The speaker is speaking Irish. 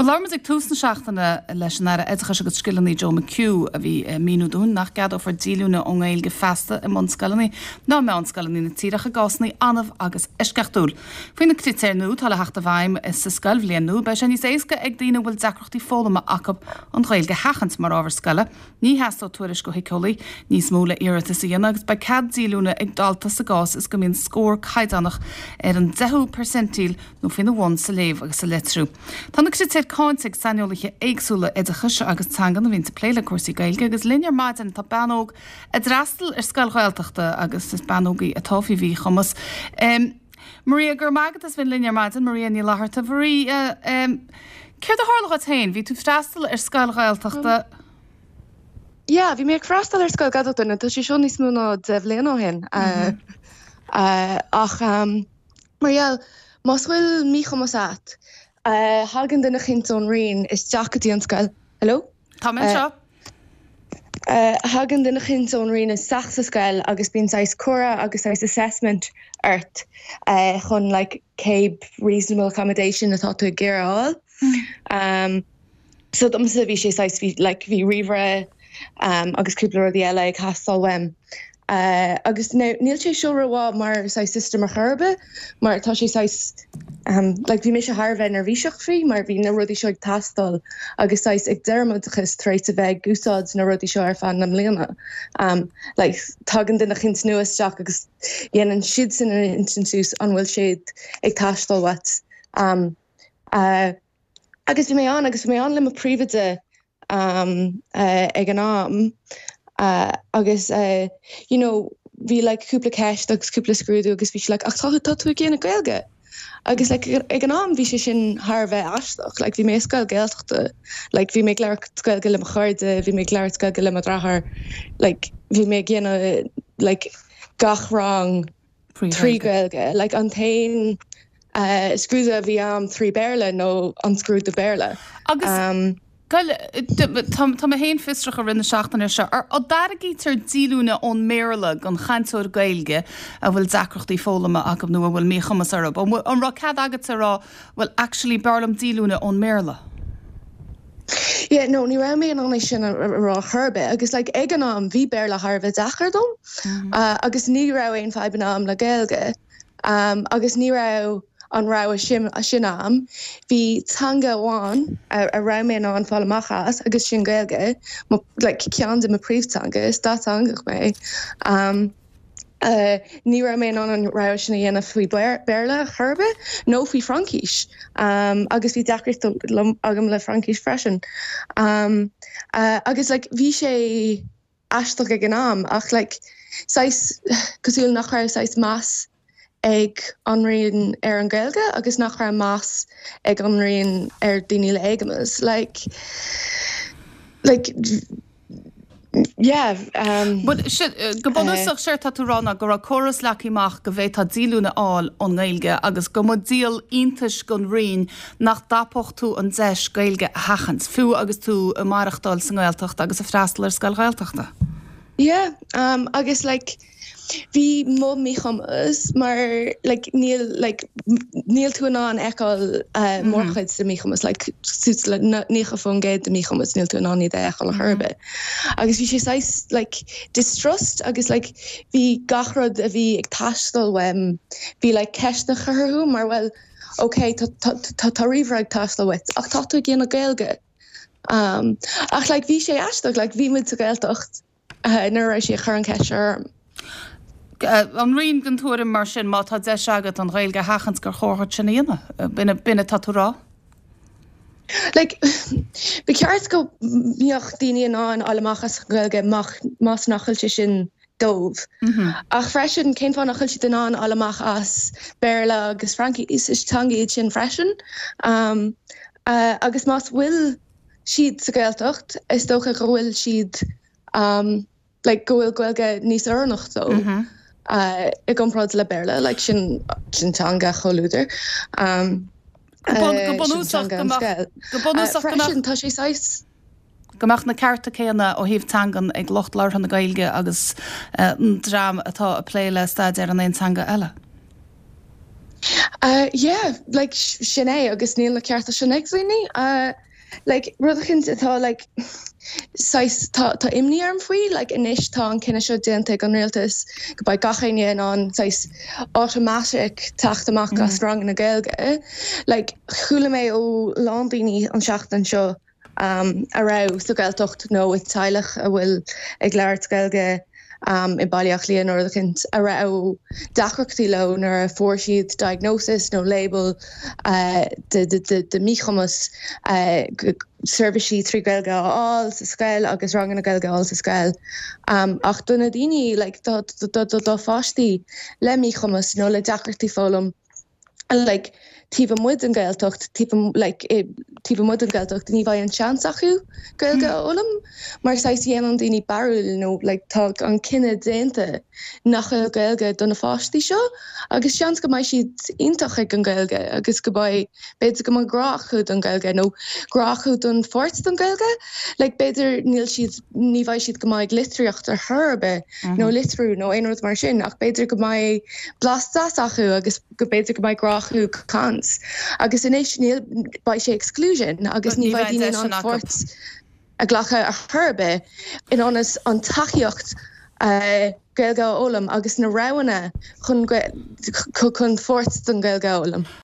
Bhuel, labhair muid ag tús na seachtaine leis an Aire Oideachais agus Scileanna Joe McHugh a bhí ag míniú dúinn nach gceadófar díolúine ón nGaeilge feasta i mbunscoileanna ná meánscoileanna na tíre ach i gcásanna annamh agus eisceachtúil. Faoi na critéir nua atá le theacht i bhfeidhm sa scoilbhliain nua beidh sé níos éasca ag daoine a bhfuil deacrachtaí foghlama acu an Ghaeilge a sheachaint mar ábhar scoile. Ní theastóidh tuairisc ó shíceolaí níos mó le iarratas a dhéanamh agus beidh cead díolúine ag dalta sa gcás is go mbíonn scór caighdeánach ar an 10ú percentile nó faoina bhun sa léamh agus sa litriú. Tá na critéir cáinte ag saineolaithe éagsúla oideachais agus teangan a bhíonn ag plé le cúrsaí Gaeilge agus linn ar maidin tá bean óg a d'fhreastail ar scoil Ghaeltachta agus is bean óg í atá faoi mhíchumas. Maria, go raibh maith agat as bheith linn ar maidin. Maria Ní Fhlatharta. Maria, céard a tharla dhuit féin? Bhí tú ag freastal ar scoil Ghaeltachta. Yeah, bhí mé ag freastal ar scoil Ghaeltachta, nó tá sé seo níos mó ná 10 bhliain ó shin. Ach mar gheall, más bhfuil míchumas a't, thagann duine eicínt ón Roinn isteach go dtí an scoil. Hello? Tá mé anseo. Thagann duine eicínt ón Roinn isteach sa scoil agus bíonn saghas comhrá agus saghas assessment ort chun like cé reasonable accommodation atá tú ag iarraidh a fháil. So domsa bhí sé saghas bhí like bhí ríomhaire agus cúpla rudaí eile ag teastáil uaim. Agus now níl sé seo rómhaith mar saghas system ar chor ar bith mar tá sé saghas like bhí mise thar a bheith neirbhíseach faoi mar bhí na rudaí seo ag teastáil agus saghas ag deireadh m'oideachais tar éis a bheith ag úsáid na rudaí seo ar feadh na mbliana like tagann duine eicínt nua isteach agus dhéanann siadsan a insint suas an bhfuil siad ag teastáil uait. Agus bhí mé ann agus bhí mé ann le mo phríomhoide ag an am agus you know bhí like cúpla ceist agus cúpla scrúdú agus bhí sí like ach tá tá tú ag déanamh Gaeilge agus like ag an am bhí sé sin thar a bheith aisteach like bhí mé i scoil Gaeltachta like bhí mé ag labhairt Gaeilge le mo chairde bhí mé ag labhairt Gaeilge le mo dheartháir like bhí mé ag déanamh like gach rang 3 Gaeilge. Like an t-aon scrúdú a bhí a'm 3 Béarla nó an scrúdú Béarla. Agus tá mé féin fiosrach i rith na seachtaine seo, an dtairgítear díolúine ón mBéarla don chainteoir Gaeilge a bhfuil deacrachtaí foghlama acu nó a bhfuil míchumas orthu? An raibh cead agatsa a rá, bhuel actually b'fhearr liom díolúine ón mBéarla? Yeah, no, ní raibh mé in ann é sin a rá chor ar bith agus like ag an am bhí Béarla thar a bheith deacair dom agus ní raibh aon fadhbanna a'm le Gaeilge agus ní raibh an rogha sin sin a'm. Bhí teanga amháin a raibh mé in ann fáil amach as agus sin Gaeilge, mo like ceann de mo príomhteanga, is dátheangach mé. Ní raibh mé in ann an rogha sin a dhéanamh faoi Béarla chor ar bith, nó faoi Fraincis, agus bhí deacracht agam le Fraincis freisin. Agus like bhí sé aisteach ag an am ach like saghas cosúil nach raibh saghas meas ag an Roinn ar an Ghaeilge agus nach raibh meas ag an Roinn ar daoine le éagumas. Like like. Yeah. Bhuel, go bunúsach, séard tá tú a rá ná go raibh córas leagtha amach go bhféadfá díolúine a fháil ón nGaeilge agus go mba díol iontais don Roinn nach dtapódh tú an deis Gaeilge a sheachaint, fiú agus tú ag maireachtáil sa nGaeltacht agus ag freastal ar scoil Ghaeltachta. Yeah, agus like, Bhí mo míchumas mar like níl like níl tú in ann fheiceáil mórchuid de míchumas like suas le 90% de míchumas níl tú in ann iad a fheiceáil ar chor ar bith. Agus bhí sé saghas like distrust agus like bhí gach rud a bhí ag teastáil uaim bhí like ceisteanna curtha orthu mar bhuel ok tá tá tá ríomhaire ag teastáil uait ach tá tú ag déanamh Gaeilge. Ach like bhí sé aisteach like bhí muid sa Ghaeltacht nuair a raibh sí ag cur an cheist seo orm. An Roinn den tuairim mar sin, má tá deis agat an Ghaeilge a sheachaint gur chóir duit sin a dhéanamh? B'in atá tú a rá? Like, ba cheart go mbeadh daoine in ann fháil amach as an Ghaeilge más nach bhfuil sé sin dóibh. Ach freisin, cén fáth nach bhfuil siad in ann fháil amach as Béarla agus Fraincis? Is teanga iad sin freisin. Agus más bhfuil siad sa Ghaeltacht, is dócha go bhfuil siad like go bhfuil Gaeilge níos oiriúnach dóibh i gcomparáid le Béarla, like sin sin teanga chomhluadair. Go bunúsach go mbeadh go bunúsach go mbeadh tá sé saghas go mbeadh na cearta céanna ó thaobh teangan ag lucht labhartha na Gaeilge agus an dream atá ag plé le staidéar in aon teanga eile. Yeah, like sin é agus níl na cearta sin ag daoine. Like rud eicínt atá like saghas tá tá imní orm faoi like anois tá an cinneadh seo déanta ag an rialtas go mbeidh gach éinne in ann saghas automatic teacht amach as ranganna Gaeilge. Like chuala mé ó lán daoine an seachtain seo a raibh sa Ghaeltacht nó i teaghlach a bhfuil ag labhairt Gaeilge i mBaile Átha Cliath nó rud eicínt a raibh deacrachtaí leo nuair a fuair siad diagnosis nó label de míchumas seirbhísí trí Ghaeilge a fháil sa scoil agus ranganna Gaeilge a fháil sa scoil. Ach do na daoine like do pháistí le míchumas nó le deacrachtaí foghlaim, like taobh amuigh den Ghaeltacht, taobh like taobh amuigh den Ghaeltacht ní bheidh an seans acu Gaeilge a fhoghlaim mar saghas dhéanann daoine barúil nó like tá an cinneadh déanta nach bhfuil Gaeilge do na pháistí seo agus seans go mbeidh siad iontach ag an Ghaeilge agus go mbeidh b'fhéidir go mbeidh grá acu don Ghaeilge nó grá acu don pháirt den Ghaeilge like b'fhéidir níl siad ní bheidh siad go maith ag litríocht ar chor ar bith nó litriú nó aon rud mar sin ach b'fhéidir go mbeidh blas deas acu agus go b'fhéidir go mbeidh grá acu caint agus anois níl beidh sé exclusion agus ní bheidh daoine in ann páirt a ghlacadh ar chor ar bith in ionas an tacaíocht Gaeilge a fhoghlaim agus na roghanna chun chun pháirt den Ghaeilge a fhoghlaim.